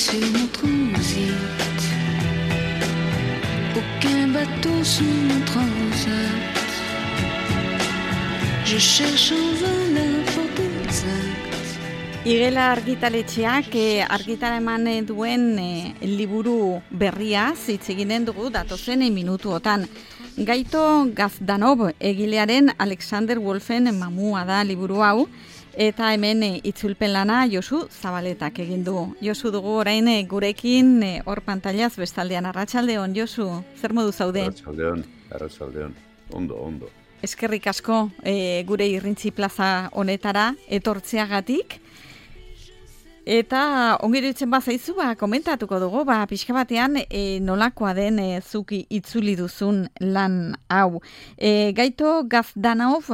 sur mon transit. Aucun bateau sur mon transat. Je cherche en vain la porte exacte. Igela argitaletxeak argitara eman duen liburu berria hitz eginen dugu datozen minutuotan. Gaito Gazdanov egilearen Alexander Wolfen mamua da liburu hau, eta hemen itzulpen lana Josu Zabaletak egin du. Josu dugu orain gurekin hor pantailaz bestaldean. Arratsaldeon, Josu, zer modu zaude? Arratsaldeon, ondo. Eskerrik asko gure Irrintzi plaza honetara etortzeagatik. Eta ongiruditzen bazaizu, komentatuko dugu, pixka batean nolakoa den zuki itzuli duzun lan hau. Gaito Gazdanov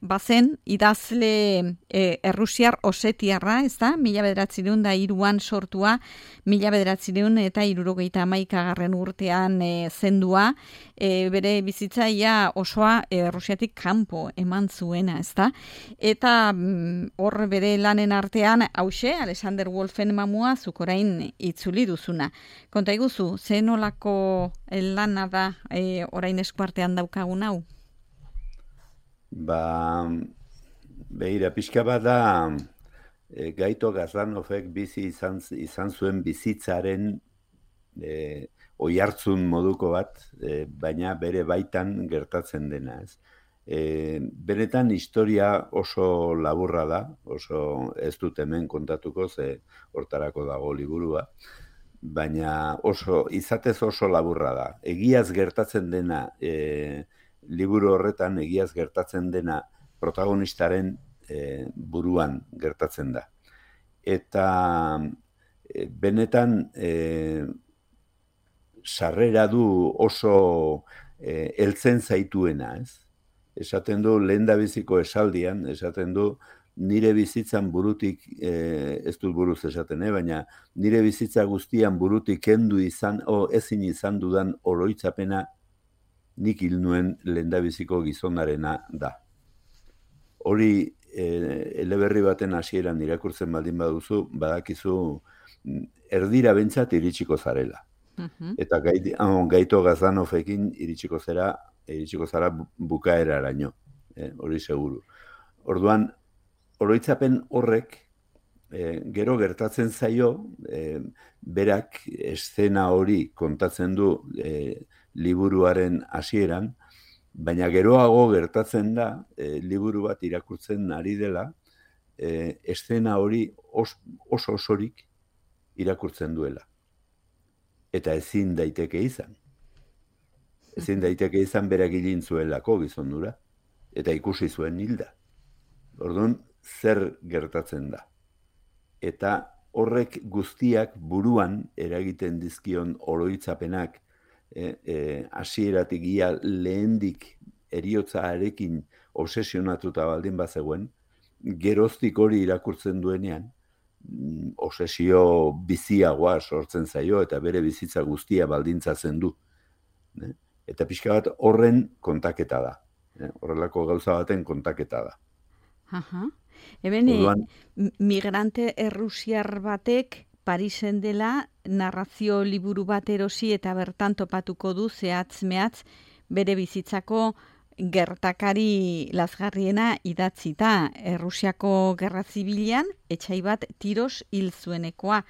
bazen idazle errusiar osetiarra, ez da? 1903an sortua, 1971 urtean zendua, bere bizitzaia osoa Errusiatik kanpo eman zuena, ez da? Eta hor bere lanen artean, hause, Alexander Wolfen mamua zuk orain itzuli duzuna. Konta iguzu, ze nolako lana da orain eskuartean daukagun hau? Begira, pixka bat da, Gaito Gazdanovek bizi izan zuen bizitzaren oihartzun moduko bat, baina bere baitan gertatzen dena, ez? Benetan historia oso laburra da, oso ez dut hemen kontatuko, ze hortarako dago liburua, baina izatez oso laburra da. Egiaz gertatzen dena, liburu horretan egiaz gertatzen dena protagonistaren buruan gertatzen da. Eta benetan sarrera du oso heltzen zaituena, ez? Esaten du, lehendabiziko esaldian, esaten du, nire bizitzan burutik, ez dut buruz esaten, baina nire bizitza guztian burutik kendu ezin izan dudan oroitzapena nik hil nuen lehendabiziko gizonarena da. Hori eleberri baten hasieran irakurtzen baldin baduzu, badakizu erdira bentsat iritsiko zarela. Eta Gaito Gazdanovekin iritsiko zara bukaeraraino, hori seguru. Orduan, oroitzapen horrek gero gertatzen zaio, berak eszena hori kontatzen du liburuaren hasieran, baina geroago gertatzen da, liburu bat irakurtzen ari dela, eszena hori oso osorik irakurtzen duela. Eta ezin daiteke izan. Ezin daiteke izan berak hilin zuelako gizondura, eta ikusi zuen hilda. Orduan, zer gertatzen da? Eta horrek guztiak buruan eragiten dizkion oroitzapenak, hasieratik ia lehendik heriotzaarekin obsesionatuta baldin bazegoen, geroztik hori irakurtzen duenean, obsesio biziagoa sortzen zaio eta bere bizitza guztia baldintzatzen du. Eta pixka bat horren kontaketa da. Horrelako gauza baten kontaketa da. Eben, migrante errusiar batek Parisen dela narrazio liburu bat erosi eta bertan topatuko du zehatz-mehatz bere bizitzako gertakari lazgarriena idatzita. Errusiako gerra zibilean etxai bat tiroz hil zuenekoa.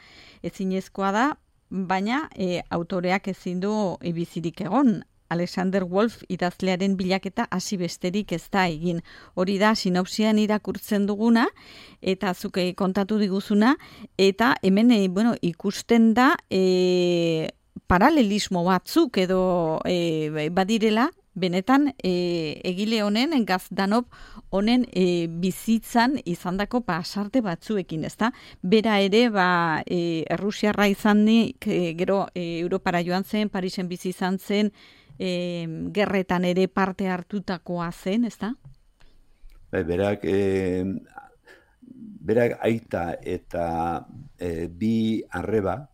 Ezinezkoa da, baina autoreak ezin du bizirik egon. Alexander Wolf idazlearen bilaketa hasi besterik ez da egin. Hori da sinopsian irakurtzen duguna eta zuke kontatu diguzuna, eta hemen ikusten da paralelismo batzuk edo badirela benetan egile honen, Gazdanov honen bizitzan izandako pasarte batzuekin, ezta? Bera ere, Errusiarra izanik, gero Europara joan zen, Parisen bizi izan zen, gerretan ere parte hartutakoa zen, ezta? Berak aita eta bi arreba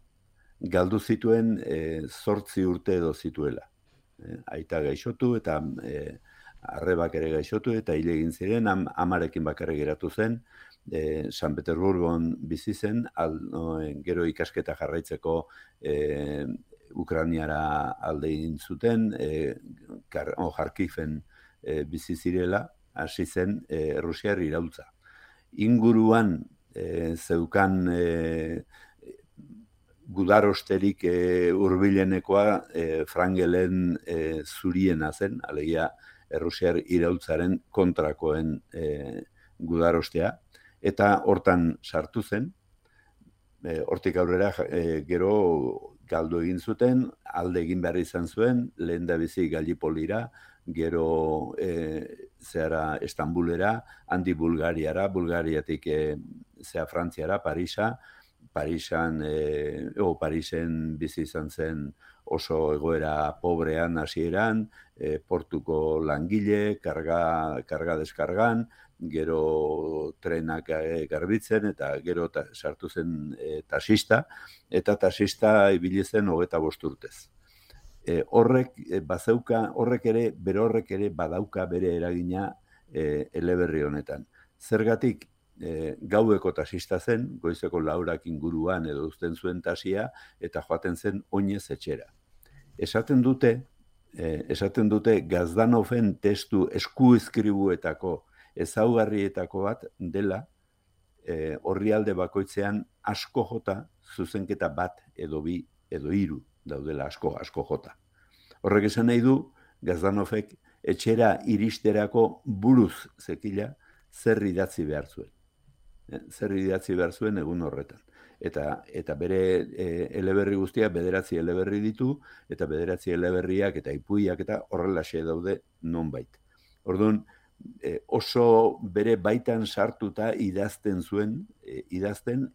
galdu zituen 8 urte edo zituela. Aita gaixotu eta arrebak ere gaixotu eta hil egin ziren, amarekin bakarrik geratu zen, San Petersburgon bizi zen, gero ikasketa jarraitzeko Ukrainiara alde egin zuten, Jarkiven bizi zirela, hasi zen Errusiar iraultza. Inguruan zeukan gudarosterik hurbilenekoa Frangelen zuriena zen, alegia Errusiar iraultzaren kontrakoen gudarostea, eta hortan sartu zen, hortik aurrera gero galdu egin zuten, alde egin behar izan zuen, lehen da bizi Gallipolira, gero zehara Estambulera, handi Bulgariara, Bulgariatik Frantziara, Parisen bizi izan zen oso egoera pobrean hasieran, portuko langile, karga deskargan, gero trenak garbitzen, eta gero sartu zen taxista, eta taxista ibili zen 25 urtez. Horrek ere badauka bere eragina eleberri honetan. Zergatik, gaueko taxista zen, goizeko 4 inguruan edo uzten zuen taxia, eta joaten zen oinez etxera. Esaten dute Gazdanoven testu eskuizkribuetako ezaugarrietako bat dela, orrialde bakoitzean asko jota zuzenketa bat edo 2 edo 3 daudela asko jota. Horrek esan nahi du, Gazdanovek etxera iristerako buruz zekila zer idatzi behar zuen. Zer idatzi behar zuen egun horretan. Eta bere eleberri guztiak 9 eleberri ditu, eta 9 eleberriak eta ipuiak eta horrelaxe daude nonbait. Orduan, oso bere baitan sartuta idazten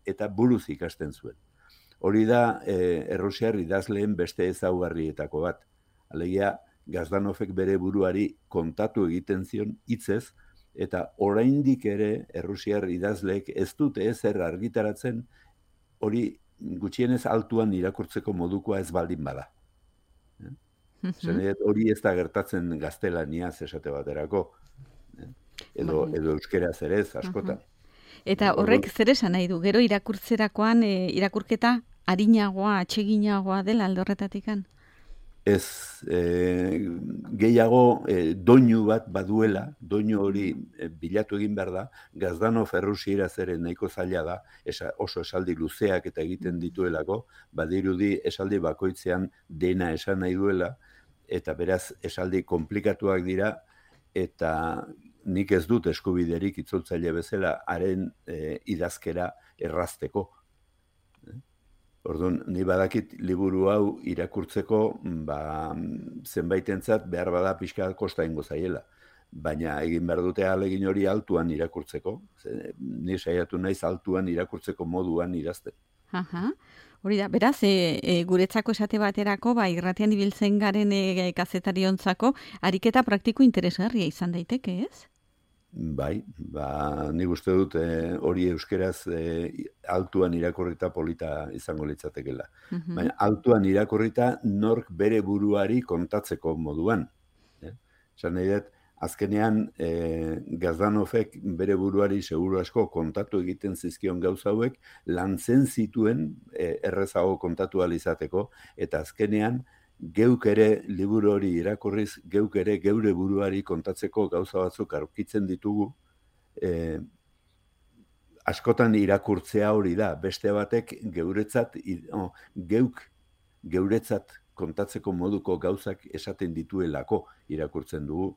eta buruz ikasten zuen. Hori da Errusiar idazleen beste ezaugarrietako bat. Alegia, Gazdanovek bere buruari kontatu egiten zion hitzez, eta oraindik ere Errusiar idazleek ez dute ezer argitaratzen, hori gutxienez altuan irakurtzeko modukoa ez baldin bada. Hori ez da gertatzen gaztelaniaz esate baterako. Edo euskeraz ere ez, askotan. Eta horrek zer esan nahi du? Gero irakurtzerakoan irakurketa arinagoa, atseginagoa dela alde horretatikan? Ez, gehiago doinu bat baduela, doinu hori bilatu egin behar da, Gazdanov errusieraz ere nahiko zaila da, oso esaldi luzeak eta egiten dituelako, badirudi esaldi bakoitzean dena esan nahi duela, eta beraz esaldi komplikatuak dira, eta nik ez dut eskubiderik itzultzaile bezala haren idazkera errazteko. Orduan, ni badakit liburu hau irakurtzeko, zenbaitentzat behar bada pixka kosta ingo zaiela. Baina egin behar dute ahalegin hori altuan irakurtzeko. Ni saiatu naiz altuan irakurtzeko moduan idazten. Hori da, beraz, guretzako esate baterako, irratian ibiltzen garen kazetariontzako, ariketa praktiko interesgarria izan daiteke, ez? Bai, nik uste dut hori euskeraz altuan irakurrita polita izango litzatekela. Baina altuan irakurrita nork bere buruari kontatzeko moduan. Esan nahi dut, azkenean Gazdanovek bere buruari seguru asko kontatu egiten zizkion gauza hauek, lantzen zituen errezago kontatu ahal izateko, eta azkenean geuk ere liburu hori irakurriz, geuk ere geure buruari kontatzeko gauza batzuk aurkitzen ditugu, askotan irakurtzea hori da, beste batek geuk geuretzat kontatzeko moduko gauzak esaten dituelako irakurtzen dugu,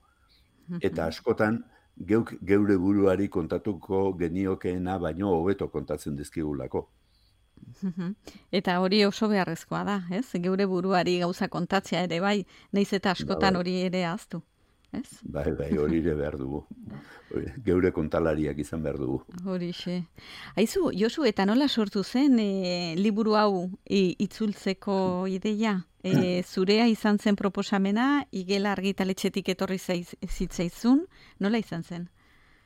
eta askotan geuk geure buruari kontatuko geniokeena baino hobeto kontatzen dizkigulako. Eta hori oso beharrezkoa da, ez? Geure buruari gauza kontatzea ere bai, nahiz eta askotan hori ere ahaztu, ez? Bai, hori ere behar dugu. Geure kontalariak izan behar dugu. Horixe. Aizu, Josu, eta nola sortu zen liburu hau itzultzeko ideia? Zurea izan zen proposamena, Igela argitaletxetik etorri zitzaizun, nola izan zen?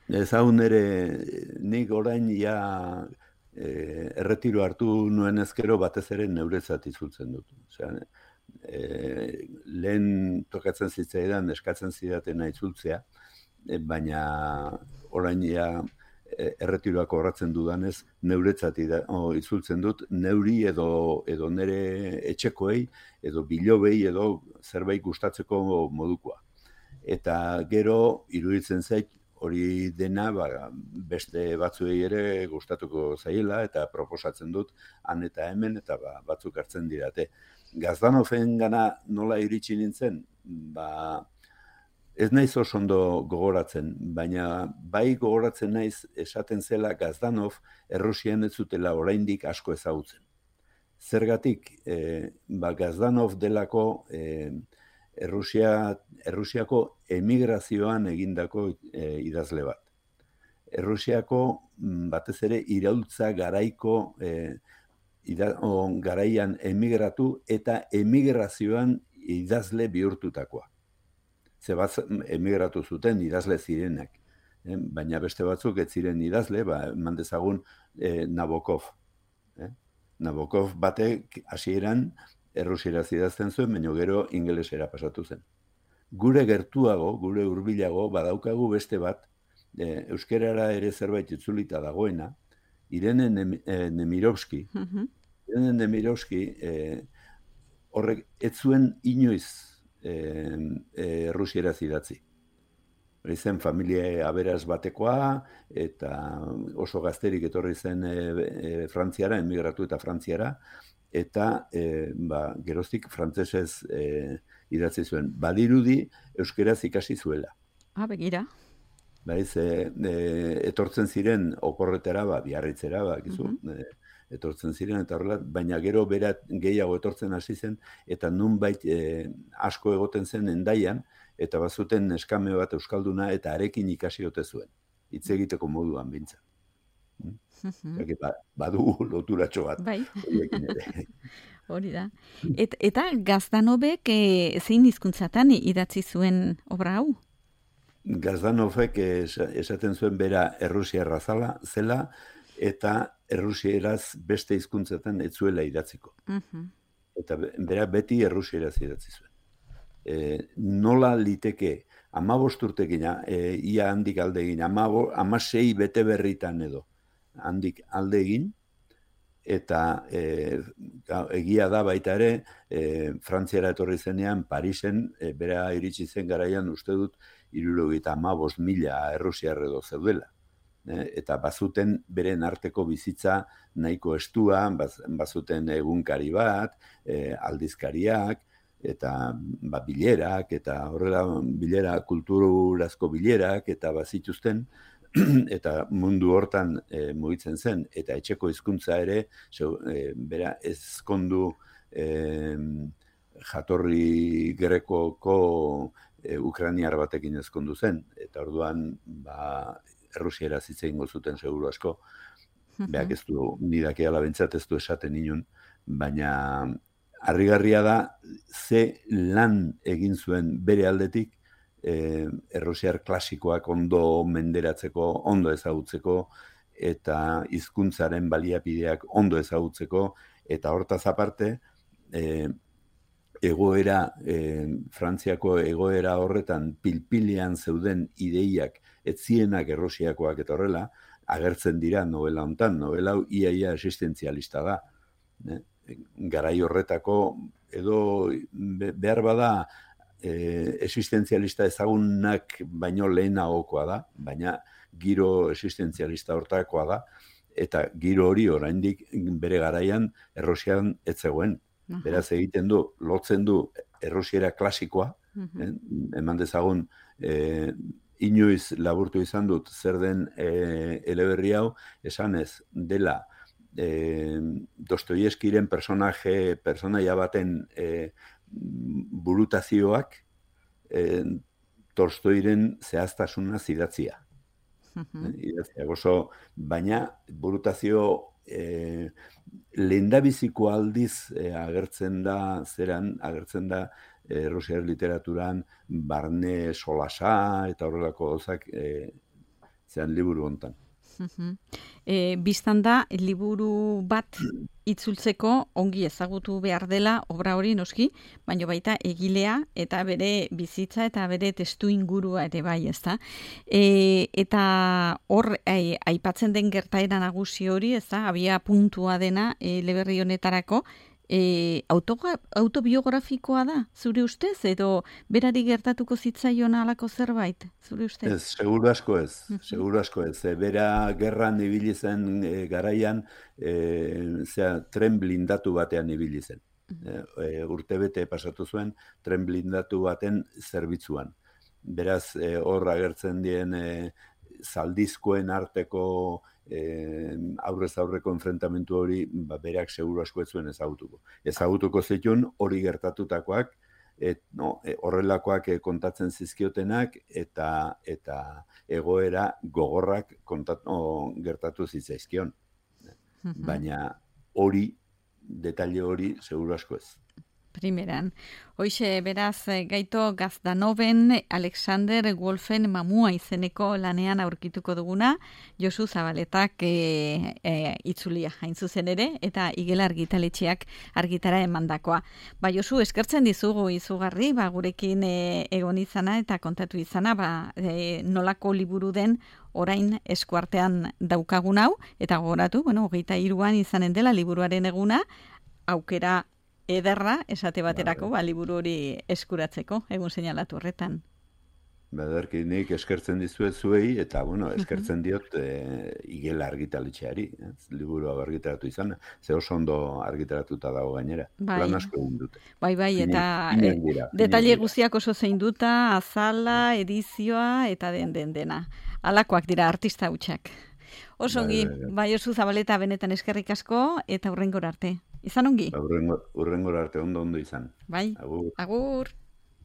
Ez hau nere, nik orain erretiro hartu nuen ezkero batez ere neuretzat itzultzen dut. Osea, lehen tokatzen zitzaidan eskatzen zidatena itzultzea, baina orain erretiroak horratzen dudanez, neuretzat itzultzen dut, neuri edo nere etxekoei, edo bilobei, edo zerbait gustatzeko modukoa. Eta gero, iruditzen zait, hori dena beste batzuei ere gustatuko zaiela, eta proposatzen dut han eta hemen, eta batzuk hartzen dirate. Gazdanofen gana nola iritsi nintzen, ez naiz oso ondo gogoratzen, baina bai gogoratzen naiz esaten zela Gazdanov Errusian ez zutela oraindik asko ezagutzen. Zergatik, Gazdanov delako Errusiako emigrazioan egindako idazle bat. Errusiako batez ere iraultza garaiko garaian emigratu eta emigrazioan idazle bihurtutakoa. Ze bat emigratu zuten idazle zirenak, baina beste batzuk ez ziren idazle, eman dezagun Nabokov. Nabokov batek hasieran errusieraz idazten zuen, baina gero ingelesera pasatu zen. Gure gertuago, gure hurbilago, badaukagu beste bat, euskerara ere zerbait itzulita dagoena, Irene Nemirovski. Irene Nemirovski horrek ez zuen inoiz errusieraz idatzi. Hori zen familia aberaz batekoa, eta oso gazterik etorri zen Frantziara, emigratu eta Frantziara, eta geroztik frantsesez idatzi zuen. Badirudi euskeraz ikasi zuela. Begira. Etortzen ziren oporretara, Biarritzera, etortzen ziren, eta horrela, baina gero berat gehiago etortzen hasi zen, eta nunbait asko egoten zen Hendaian, eta bazuten eskame bat euskalduna, eta arekin ikasi ote zuen. Hitz egiteko moduan bintzat. Badu loturatxo bat. Bai. Hori da. Eta Gazdanovek zein hizkuntzatan idatzi zuen obra hau? Gazdanovek esaten zuen bera errusiarra zela, eta errusieraz beste hizkuntzetan ez zuela idatziko. Eta bera beti errusieraz idatzi zuen. Nola liteke 15 urtekin, ia handik alde egin, 16 bete berritan edo, handik alde egin, eta egia da baita ere, Frantziara etorri zenean, Parisen, bera iritsi zen garaian uste dut, 75.000 errusiar edo zeudela. Eta bazuten beren arteko bizitza nahiko estua, bazuten egunkari bat, aldizkariak, eta bilerak, eta horrela bilera, kulturazko bilerak, eta bazituzten, eta mundu hortan mugitzen zen, eta etxeko hizkuntza ere, bera ezkondu jatorri grekoko ukrainiar batekin ezkondu zen, eta orduan errusiera hitz egingo zuten seguru asko, beak ez du, nidakeala bentsat ez du esaten inun, baina harrigarria da, ze lan egin zuen bere aldetik, errusiar klasikoak ondo menderatzeko, ondo ezagutzeko, eta hizkuntzaren baliabideak ondo ezagutzeko, eta hortaz aparte, Frantziako egoera horretan pilpilean zeuden ideiak etzienak errusiakoak eta horrela, agertzen dira novela hontan. Novela hau ia existentzialista da. Garai horretako, edo behar bada existentzialista ezagunak baino lehenagokoa da, baina giro existentzialista hortakoa da, eta giro hori oraindik bere garaian errusian ez zegoen. Beraz egiten du, lotzen du errusiera klasikoa, eman dezagun inoiz laburtu izan dut zer den eleberri hau, esanez dela Dostoievskiren personaia baten burutazioak Tolstoiren zehaztasuna idatzia. Baina burutazio lehendabiziko aldiz agertzen da Rusiar literaturan barne solasa eta horrelako gauzak zean liburu hontan. Bistan da, liburu bat itzultzeko ongi ezagutu behar dela obra hori noski, baina baita egilea eta bere bizitza eta bere testu ingurua ere bai, ezta? Eta hor, aipatzen den gertaera nagusi hori, ezta? Abia puntua dena eleberri honetarako, autobiografikoa da, zure ustez, edo berari gertatuko zitzaion halako zerbait, zure ustez? Ez, seguru asko ez, seguru asko ez. Bera gerran ibili zen garaian, tren blindatu batean ibili zen. Urtebete pasatu zuen, tren blindatu baten zerbitzuan. Beraz, hor agertzen dien zaldizkoen arteko aurrez aurreko enfrentamentu hori berak seguru asko ez zuen ezagutuko. Ezagutuko zituen hori gertatutakoak, horrelakoak kontatzen zizkiotenak eta egoera gogorrak gertatu zitzaizkion. Baina hori, detalle hori seguru asko ez. Primeran. Hoxe, beraz, Gaito Gazdanoven, Alexander Wolfen mamua izeneko lanean aurkituko duguna, Josu Zabaletak itzulia hain zuzen ere, eta Igel Argitaletxeak argitara emandakoa. Josu, eskertzen dizugu izugarri, gurekin egon izana eta kontatu izana, nolako liburu den orain eskuartean daukagun hau, eta gogoratu, 23an izanen dela liburuaren eguna, aukera ederra, esate baterako, liburu hori eskuratzeko, egun seinalatu horretan. Badarki nik eskertzen dizuet zuei, eta, eskertzen diot Igel Argitaletxeari, liburu argitaratu izan, ze oso ondo argitaratuta dago gainera. Lan asko egin dute. Bai, eta detaile guztiak oso zein duta, azala, edizioa, eta dena. Halakoak dira artista hutsak. Osongi, Josu Zabaleta benetan eskerrik asko, eta hurrengora arte. Izan ongi? Hurrengora arte, ondo izan. Bai, agur.